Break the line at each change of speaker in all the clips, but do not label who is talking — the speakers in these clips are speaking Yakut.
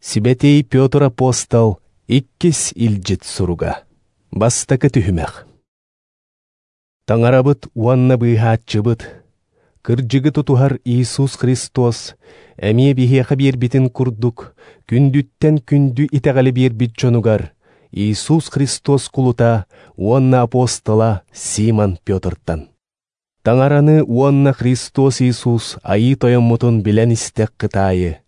Сибэтиэй Петр апостол иккис илдьит суруга. Бастакы түһүмэх. Таҥарабыт уонна быыһааччыбыт, кырдьыгы тутуһар Иисус Христос эмиэ биһиэхэ биэрбитин курдук, күндүттэн күндү итэҕэли биэрбит дьонугар Иисус Христос кулута уонна апостола Симон Петртан. Таҥараны уонна Христос Иисус Айыы Тойоммутун билэн истэххит аайы,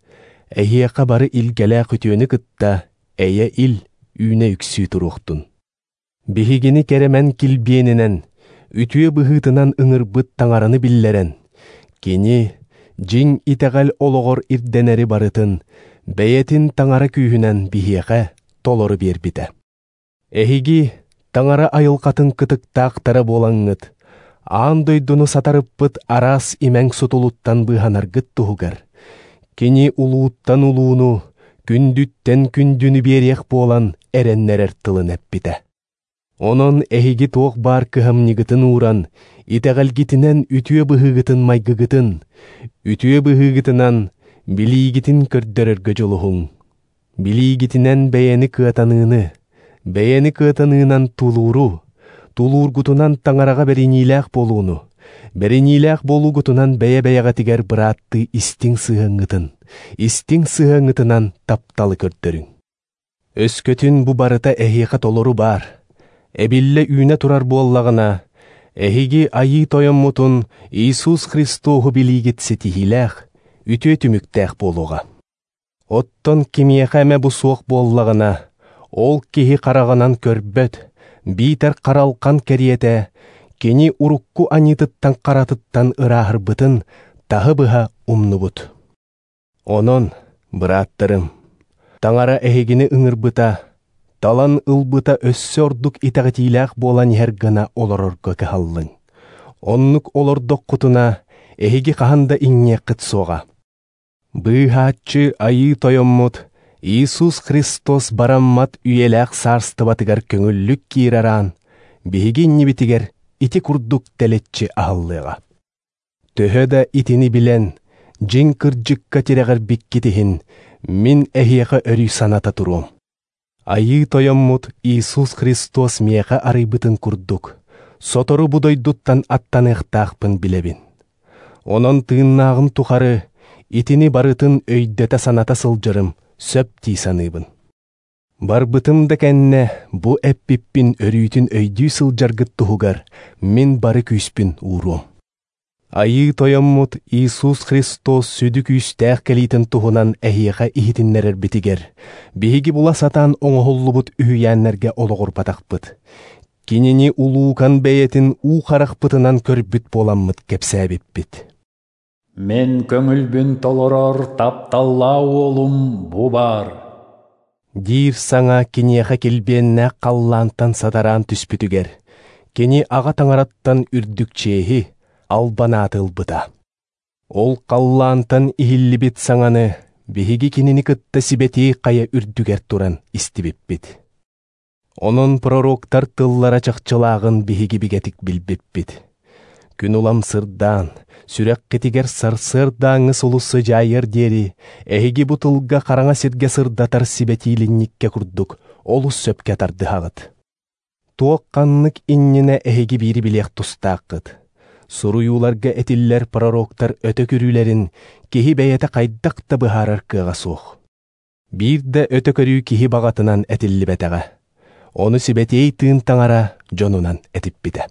эһиэхэ бары илгэлээх үтүөнү кытта эйэ ил үүнэ үксүү туруохтун. Биһигини кэрэмэн килбиэнинэн, үтүө быһыытынан ыҥырбыт Таҥараны биллэрэн, кини дьиҥ итэҕэл олоҕор ирдэнэри барытын бэйэтин Таҥара күүһүнэн биһиэхэ толору биэрбитэ. Эһиги Таҥара айылҕатын кытыктаахтара буолаҥҥыт, аан дойдуну сатарыппыт араас имэҥ сутулуттан быыһанаргыт туһугар, кини улууттан улууну, күндүттэн күндүнү биэриэх буолан эрэннэрэр тылын эппитэ. Онон эһиги туох баар кыһамньыгытын ууран, итэҕэлгитинэн үтүө быһыыгытын майгыгытын, үтүө быһыыгытынан билиигитин көрдөрөргө дьулуһуҥ. Билиигитинэн бэйэни кыатаныыны, бэйэни кыатаныынан тулууру, тулуургутунан таҥараҕа бэриниилээх буолууну, бэриниилээх буолуугутунан бэйэ-бэйэҕитигэр бырааттыы истиҥ сыһыаҥҥытын, истиҥ сыһыаҥҥытынан тапталы көрдөрүҥ. Өскөтүн бу барыта эһиэхэ толору баар, эбиллэ үүнэ турар буоллаҕына, эһиги Айыы Тойоммутун Иисус Христоһу билиигит ситиһиилээх, үтүө түмүктээх буолуоҕа. Оттон кимиэхэ эмэ бу суох буоллаҕына, ол киһи хараҕынан көрбөт, биитэр харалхан кэриэтэ, кини урукку аньыытыттан харатыттан ырааһырбытын таһы-быһа умнубут. Онон, бырааттарым, Таҥара эһигини ыҥырбыта, талан ылбыта өссө ордук итэҕэтиилээх буолан иһэр гына олорорго кыһаллыҥ. Оннук олордоххутуна, эһиги хаһан да иҥниэххит суоҕа. Быыһааччы Айыы Тойоммут Иисус Христос бараммат үйэлээх саарстыбатыгар көҥүллүк киирэр аан, биһиги иннибитигэр ити курдук тэлэччи аһыллыаҕа. Төһө да итини билэн, дьиҥ кырдьыкка тирэҕирбиккит иһин, мин эһиэхэ өрүү саната туруом. Айыы Тойоммут Иисус Христос миэхэ арыйбытын курдук, сотору бу дойдуттан аттаныахтаахпын билэбин. Онон тыыннааҕым тухары итини барытын өйдөтө саната сылдьарым сөп дии саныыбын. Барбытым да кэннэ бу эппиппин өрүүтүн өйдүү сылдьаргыт туһугар мин бары күүспүн ууруом. Айыы Тойоммут Иисус Христос сүдү күүстээх кэлиитин туһунан эһиэхэ иһитиннэрэрбитигэр, биһиги була сатаан оҥоһуллубут үһүйээннэргэ олоҕурбатахпыт. Кинини улуукан бэйэтин уу харахпытынан көрбүт буоламмыт кэпсээбиппит.
Мен көңүлбүн толорор тапталлаа уолум бу бар.
Диир саҥа киниэхэ килбиэннээх халлаантан сатараан түспүтүгэр, кини аҕа таҥараттан үрдүк чиэһи албан ааты ылбыта. Ол халлаантан иһиллибит саҥаны биһиги кинини кытта сибэтии хайа үрдүгэр туран истибиппит. Онон пророктар тыллара чахчылааҕын биһиги бигэтик билбиппит. Күн улам сырдаан, сүрэххитигэр сарсыардааҥҥы сулус сыдьаайыар диэри, эһиги бу тылга хараҥа сиргэ сырдатар сибэтиилинньиккэ курдук олус сөпкө тардыһаҕыт. Туох ханнык иннинэ эһиги биири билиэх тустааххыт. Суруйууларга этиллэр пророктар өтө көрүүлэрин киһи бэйэтэ хайдах да быһаарар кыаҕа суох. Биир да өтө көрүү киһи баҕатынан этиллибэтэҕэ. Ону сибэтиэй тыын таҥара дьонунан этиппитэ.